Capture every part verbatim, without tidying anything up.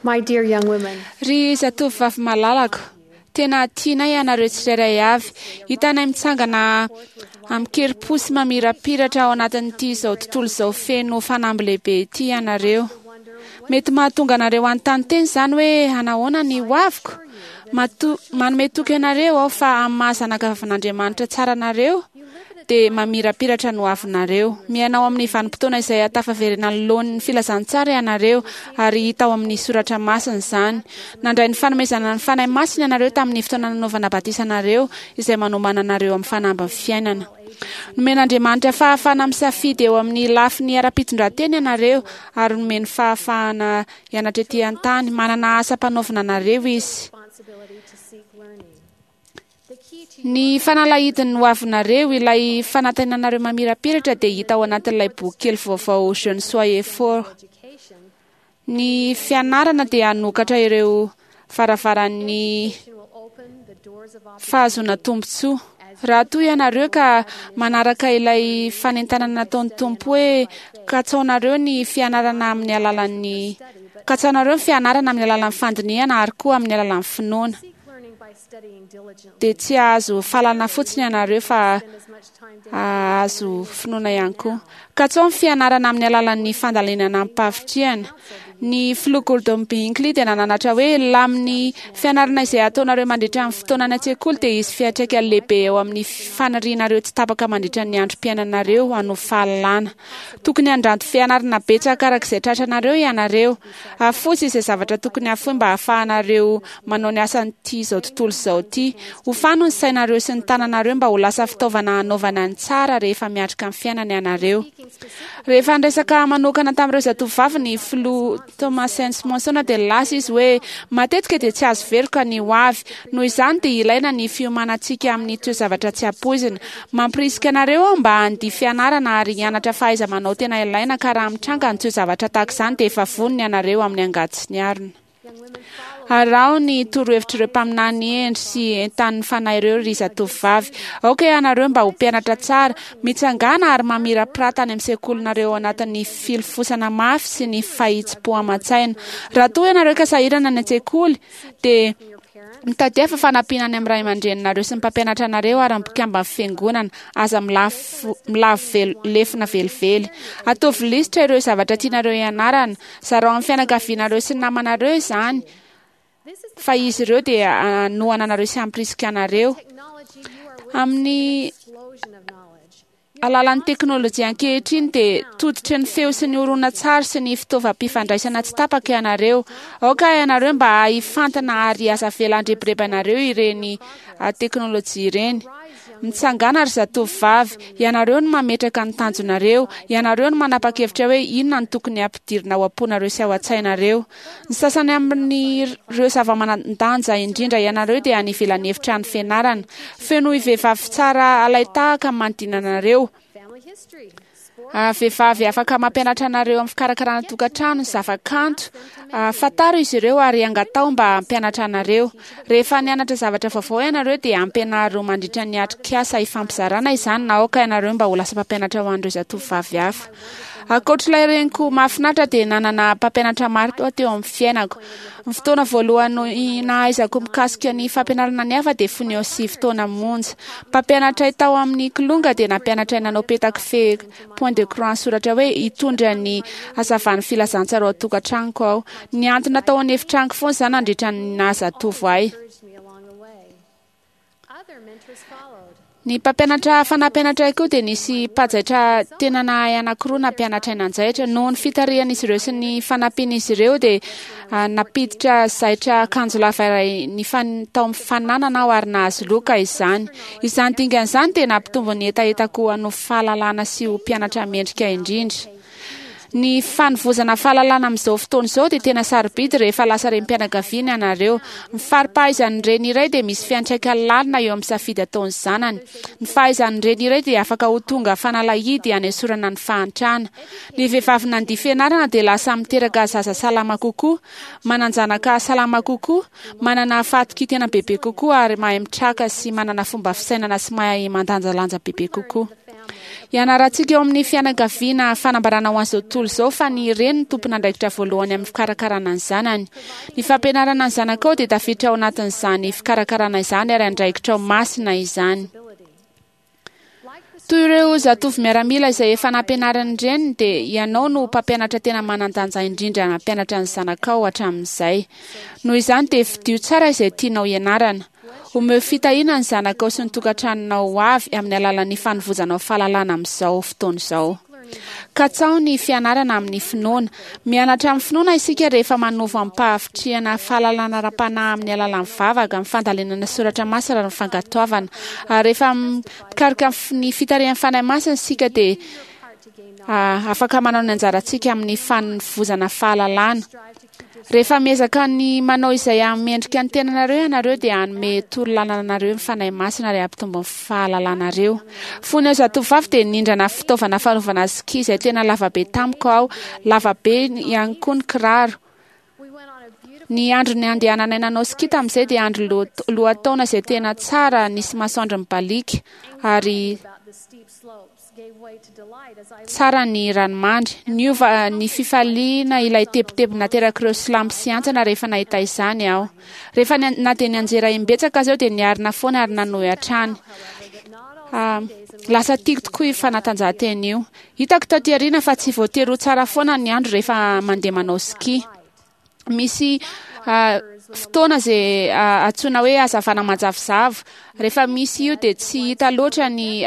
My dear young women, Ry zatovovavy malalako, tena tianay ianareo tsirairay avy. Hitanay mitsangana amin-kerim-po sy mamirapiratra ao anatin'ity izao tontolo izao feno fanamby lehibe ity ianareo. Mety mahatonga anareo hanontany tena izany hoe anahoana ny hoaviko? Mato- manome toky anareo aho fa amin'ny maha zanakavavin'Andriamanitra tsara anareo dia mamirapiratra ny hoavinareo. Miaina ao amin'ny vanim-potoana izay ahatafaverena ny laoniny filazantsara ianareo ary hita ao amin'ny soratra masina izany. Nandray ny fanomezana ny Fanahy Masina ianareo tamin'ny fotoana nanaovana batisa anareo izay manomana anareo amin'ny fanamby ny fiainana. Nomen'Andriamanitra fahafahana misafidy eo amin'ny lafiny ara-pitondran-tena ianareo ary nomeny fahafahana hianatra ety an-tany. Manana asa ampanaovina anareo izy. responsibility to seek learning. The key to Ny fanalahidin'ny hoavinareo, ilay fanantenanareo mamirapiratra dia hita ao anatin'ilay boky kely vaovao Jeunes soyez forts. education Ny fianarana dia hanokatra ireo varavaran'ny will open the doors of fahazoana tombontsoa. Raha toa ianareo ka manaraka ilay fanentanana nataon'ny Tompo hoe katsaonareo ny fianarana amin'ny alalan'ny katsaonareo ny fianarana amin'ny alalan'ny fandinihana ary koa amin'ny alalan'ny finoana. seek learning by studying diligently. Dia tsy hahazo fahalalana fotsiny ianareo fa Spend as much time hahazo finoana ihany koa. Katsao ny fianarana amin'ny alalan'ny fandalinana amim-pahavitrihana. Ny filoha Gordon B. Hinckley dia nananatra hoe lamin'ny fianarana izay ataonareo mandritra ny fotoana any an-tsekoly dia hisy fiantraikany lehibe eo amin'ny fanirianareo tsy tapaka mandritra ny androm-piainanareo hanovo fahalalana. Tokony handranto fianarana betsaka araka izay tratranareo ianareo. Afoy izay zavatra tokony hafoy mba hahafahanareo manao ny asan'ity izao tontolo izao ity. Hofano ny sainareo sy ny tananareo mba ho lasa fitaovana hanaovana ny tsara rehefa miatrika ny fiainana ianareo. Rehefa niresaka manokana tamin'ireo zatovovavy ny filoha Thomas S. Monson dia lasa izy hoe matetika dia tsy azo veroka ny ho avy. Noho izany dia ilaina ny fiomanantsika amin'ny toe-javatra tsy ampoizina. Mampirisika anareo aho mba handia fianarana ary hianatra fahaiza-manao tena ilaina ka raha mitranga ny toe-javatra tahaka izany dia efa vonona ianareo amin'ny angady sy ny arina. Araho ny torohevitr'ireo mpaminany hendry sy entanin'ny fanahy ireo ry zatovovavy. Aoka ianareo mba ho mpianatra tsara, mitsangàna ary mamirapirata any amin'ny sekolinareo ao anatin'ny filofosana mafy sy ny fahitsim-po aman-tsaina. Raha toa ianareo ka sahirana any an-tsekoly dia mitadiava fanampiana any amin'ny ray aman-dreninareo sy ny mpampianatra anareo ary ny mpikamban'ny fiangonana. Aza milafo milavo vel- lefona velively. Ataovy lisitra ireo zavatra tianareo hianarana. Zarao amin'ny fianakavianareo sy ny namanareo izany fa izy ireo dia hanohana anareo sy hampirisika anareo. technology you are Amin'ny explosion of knowledge. alalan'ny teknôlôjia ankehitriny dia tototry ny feo sy ny horonantsary sy ny fitaovam-pifandraisana tsy tapaka ianareo. Aoka ianareo mba hifantana ary aza avela handrebireby anareo ireny ah, teknôlôjia ireny. Mitsangàna ry zatovovavy, ianareo no mametraka ny tanjonareo, ianareo no manapa-kevitra hoe inona no tokony hampidirina ao am-ponareo sy ao an-tsainareo. Ny sasany amin'ireo zava-manan-danja indrindra ianareo dia any ivelan'ny efitrano fianarana. Feno vehivavy tsara alay-tahaka manodidina anareo. Family history, sport, Ah, vehivavy afaka mampianatra anareo amin'ny fikarakarana tokantrano, ny zava-kanto. Ah, fantaro izy ireo ary angatao mba hampianatra anareo. Rehefa nianatra zavatra vaovao ianareo dia ampianaro mandritra ny atrikasa ifampizarana izany na aoka ianareo mba ho lasa mpampianatra ho an'ireo zatovovavy hafa. Ankoatr'ilay reniko mahafinaritra dia nanana mpampianatra maro teo teo amin'ny fiainako. Ny fotoana voalohany nahaizako mikasika ny fampianarana ny hafa dia fony eo sivy taona monja. Mpampianatra ahy tao amin'ny kilonga dia nampianatra ahy nanao petakofehy point de croix soratra hoe hitondra ny hazavan'ny filazantsara ao an-tokantranoko aho. Nihantona tao an'efitranoko foana izany nandritra ny nahazatovo ahy. encouraged me along the way. Other mentors followed. Ny mpampianatra hafa nampianatra ahy koa dia nisy mpanjaitra tena nahay anankiroa nampianatra ahy nanjaitra. Noho ny fitarihan'izy ireo sy ny fanampian'izy ireo dia ah, nampiditra zaitra akanjo lava iray nifan- tao amin'ny fananana aho ary nahazo loka izany. Izany dingana izany dia nampitombo ny hetahetako hanovo fahalalana sy ho mpianatra mendrika indrindra. Ny fanovozana fahalalana amin'izao fotoana izao dia tena sarobidy rehefa lasa renim-pianakaviana ianareo. Ny fari-pahaizan'ny reny iray dia misy fiantraikany lalina eo amin'ny safidy ataon'ny zanany. Ny fahaizan'ny reny iray dia afaka ho tonga fanalahidy hanesorana ny fahantrana. Ny vehivavy nandia fianarana dia lasa miteraka zaza salama kokoa, manan-janaka salama kokoa, manana fahatokian-tena bebe kokoa ary mahay mitraka sy manana fomba fisainana sy mahay mandanjalanja bebe kokoa. Ianarantsika eo amin'ny fianakaviana fanambarana ho an'izao tontolo izao fa ny reny no tompon'andraikitra voalohany amin'ny fikarakarana ny zanany. Ny fampianarana ny zanakao dia tafiditra ao anatin'izany fikarakarana izany ary andraikitra ao masina izany. Toy ireo zatovo miaramila izay efa nampianarin'ny reniny dia ianao no mpampianatra tena manan-danja indrindra nampianatra ny zanakao hatramin'izay. Noho izany dia fidio tsara izay tianao hianarana. Omeo fitahiana ny zanakao sy ny tokantranonao ho avy amin'ny alalan'ny fanovozanao fahalalana amin'izao fotoana izao. Katsaho ny fianarana amin'ny finoana. Mianatra amin'ny finoana isika rehefa manovo amim-pahavitrihana fahalalana ara-panahy amin'ny alalan'ny vavaka, amin'ny fandalinana soratra masina ary ny fankatoavana. Ary rehefa mikaroka ny fitarihan'ny Fanahy Masina isika dia afaka manao ny anjarantsika amin'ny fanovozana fahalalana. Rehefa miezaka ny manao izay hahamendrika ny tenanareo ianareo dia hanome torolalana anareo ny Fanahy Masina ary hampitombo ny fahalalanareo. Fony aho zatovovavy dia nindrana fitaovana fanaovana ski izay tena lavabe tamiko aho, lavabe ihany koa ny kiraro. Ny andro ny andehananay nanao ski tamin'izay dia andro lohataona izay tena tsara, nisy masoandro mibaliaka ary tsara ny ranomandry. Niova ny fifaliana ilay tebiteby naterak'ireo silampo sy antsana rehefa nahita izany aho. Rehefa na dia nianjera imbetsaka aza aho dia niarina foana ary nanohy hatrany. Lasa tiako tokoa io fanatanjahantena io. Hitako taty aoriana fa tsy voatery ho tsara foana ny andro rehefa mandeha manao ski. Misy fotoana izay antsoina hoe hazavana manjavozavo. Rehefa misy io dia tsy hita loatra ny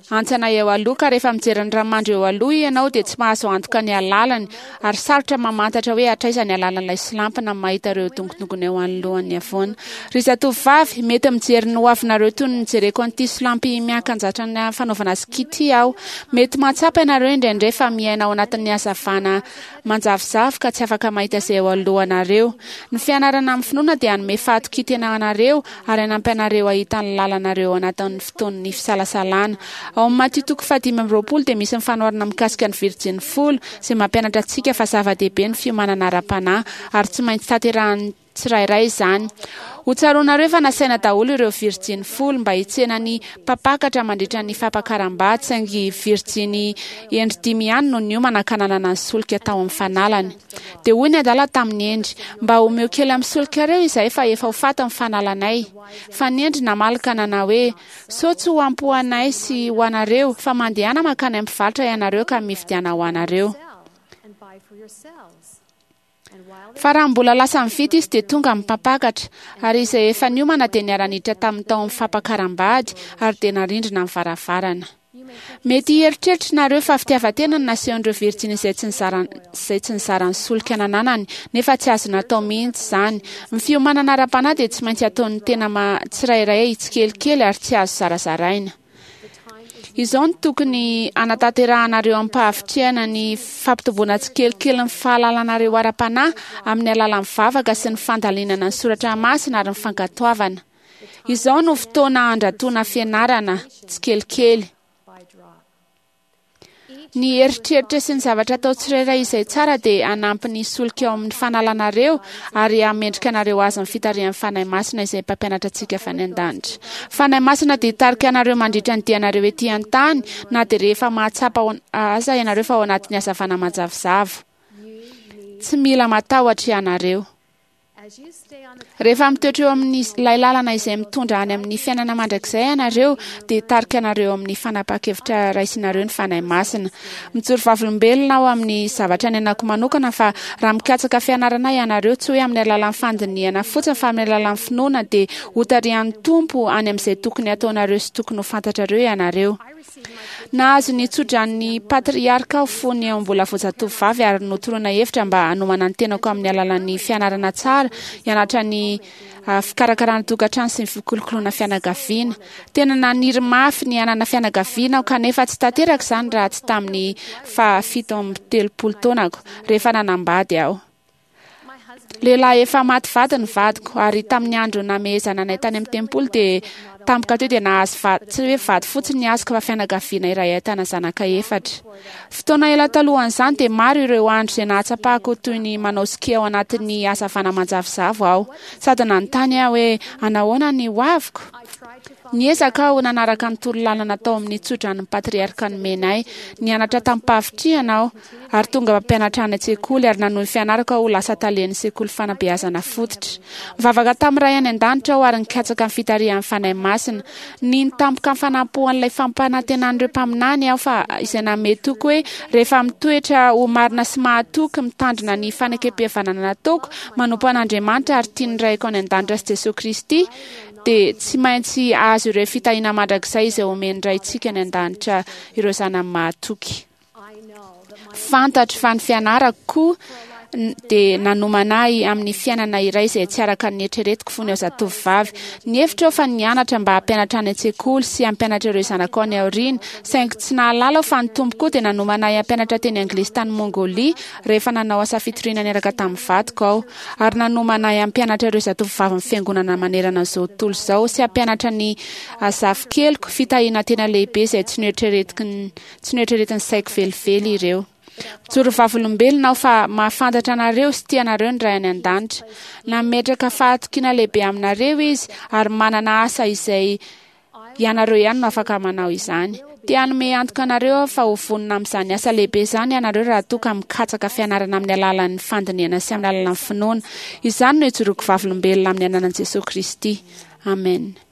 antsana eo aloha, ka rehefa mijery ny ranomandry eo aloha ianao dia tsy mahazo antoka ny alalany ary sarotra mamantatra hoe hatraiza ny alalan'ilay silampy na mahita ireo dongondongona eo anoloan'ny havoana. Ry zatovovavy, mety mijery ny hoavinareo toy ny nijereko an'ity silampy miankanjatra ny fanaovana ski ity aho. Mety mahatsapa ianareo indraindray fa miaina ao anatin'ny hazavana manjavozavo ka tsy afaka mahita izay eo alohanareo. Ny fianarana amin'ny finoana dia hanome fahatokian-tena anareo ary hanampy anareo hahita ny lalanareo ao anatin'ny fotoan'ny fisalasalana. Ao amin'ny Matio toko fahadimy amby roapolo dia misy ny fanoharana mikasika ny virjiny folo izay mampianatra antsika fa zava-dehibe ny fiomanana ara-panahy ary tsy maintsy tanterahan'ny tsirairay izany. Ho tsaroanareo fa nasaina daholo ireo virjiny folo mba hitsena ny mpampakatra mandritra ny fampakaram-bady, saingy virjiny hendry dimy ihany no niomana ka nanana ny solika tao amin'ny fanalany. Dia hoy ny adala tamin'ny hendry, mba omeo kely amin'ny solikareo izahay fa efa ho faty ny fanalanay. Fa ny hendry namaly ka nanao hoe, sao tsy ho ampy ho anay sy ho anareo, fa mandehana mankany amin'ny mpivarotra ianareo ka mividiana ho anareo. Fa raha mbola lasa mividy izy dia tonga amin'ny mpampakatra, ary izay efa niomana dia niara-niditra tamin'ny tao amin'ny fampakaram-bady ary dia narindrina ny varavarana. Mety hieritreritra nareo fa fitiavan-tena no nasehon'ireo virjiny izay tsy nizara izay tsy nizara ny solika nananany, nefa tsy azo natao mihitsy izany. Ny fiomanana ara-panahy dia tsy maintsy ataon'ny tena tsirairay tsikelikely ary tsy azo zarazaraina. Izao no tokony hanatanterahanareo amim-pahavitrihana ny fampitomboana tsikelikely ny fahalalanareo ara-panahy amin'ny alalan'ny vavaka sy ny fandalinana ny soratra masina ary ny fankatoavana. Izao no fotoana handratoana fianarana tsikelikely. Ny eritreritra sy ny zavatra atao tsirairay izay tsara dia hanampy ny solika ao amin'ny fanalanareo ary hamendrika anareo azy ny fitarihan'ny Fanahy Masina izay mpampianatra antsika avy any an-danitra. Fanahy Masina dia hitarika anareo mandritra ny dianareo ety an-tany na dia rehefa mahatsapa aza ianareo fa ao anatin'ny hazavana manjavozavo. Tsy mila matahotra ianareo. Rehefa mitoetra eo amin'ny ilay lalana izay mitondra any amin'ny fiainana mandrakizay ianareo dia hitarika anareo amin'ny fanapahan-kevitra raisinareo ny Fanahy Masina. Mijoro vavolombelona aho amin'ny zavatra niainako manokana fa raha mikatsaka fianarana ianareo, tsy hoe amin'ny alalan'ny fandinihana fotsiny fa amin'ny alalan'ny finoana, dia hotarihan'ny Tompo any amin'izay tokony hataonareo sy tokony ho fantatrareo ianareo. Nahazo ny tsodran'ny patriarka aho fony mbola vao zatovovavy ary notoroana hevitra mba hanomana ny tenako amin'ny alalan'ny fianarana tsara, hianatra ny fikarakarana tokantrano sy ny fikolokoloana fianakaviana. Tena naniry mafy ny hanana fianakaviana aho kanefa tsy tanteraka izany raha tsy tamin'ny fahafito amby telopolo taonako rehefa nanambady aho. Lehilahy efa maty vady ny vadiko ary tamin'ny andro namehezana anay tany amin'ny tempoly dia tampoka teo dia nahazo vady, tsy hoe vady fotsiny ny azoko fa fianakaviana iray ahitana zanaka efatra. Fotoana ela talohan'izany dia maro ireo andro izay nahatsapako toy ny manao ski ao anatin'ny hazavana manjavozavo aho. Sady nanontany aho hoe anahoana ny hoaviko? Niezaka aho nanaraka ny torolalana tao amin'ny tsodranon'ny patriarka nomena ahy. Nianatra tamim-pahavitrihana aho ary tonga mpampianatra any an-tsekoly ary nanohy ny fianarako aho ho lasa talen'ny sekoly fanabeazana fototra. Nivavaka tamin'ny Ray any an-danitra aho ary nikatsaka ny fitarihan'ny Fanahy Masina. Nino tampoka ny fanampoan'ilay fampanantenan'ireo mpaminany aho fa izay nanome toky hoe rehefa mitoetra ho marina sy mahatoky, mitandrina ny fanekem-pihavanana nataoko, manompo an'Andriamanitra ary tia ny Raiko any an-danitra sy Jesoa Kristy, dia tsy maintsy hahazo ireo fitahiana mandrakizay izay omen'ny Raintsika any an-danitra ireo zanany mahatoky. Fantatro fa ny fianarako koa dia nanomana ahy amin'ny fiainana iray izay tsy araka ny neritreretiko fony aho zatovovavy. Nihevitra aho fa nianatra mba hampianatra any an-tsekoly sy hampianatra ireo zanako any aoriana, saingy tsy nahalala aho fa ny Tompo koa dia nanomana ahy hampianatra teny anglisy tany Mongolia rehefa nanao asa fitoriana niaraka tamin'ny vadiko aho, ary nanomana ahy hampianatra ireo zatovovavin'ny Fiangonana manerana an'izao tontolo izao sy hampianatra ny zafikeliko, fitahiana tena lehibe izay tsy noeritreretin'ny saiko velively ireo. Mijoro vavolombelona aho fa mahafantatra anareo sy tia anareo ny Ray any An-danitra. Nametraka fahatokiana lehibe aminareo Izy ary manana asa izay ianareo ihany no afaka manao izany. Te hanome antoka anareo aho fa ho vonona amin'izany asa lehibe izany ianareo raha toa ka mikatsaka fianarana amin'ny alalan'ny fandinihana sy amin'ny alalan'ny finoana. Izany no ijoroako vavolombelona amin'ny anaran'i Jesoa Kristy. Amena.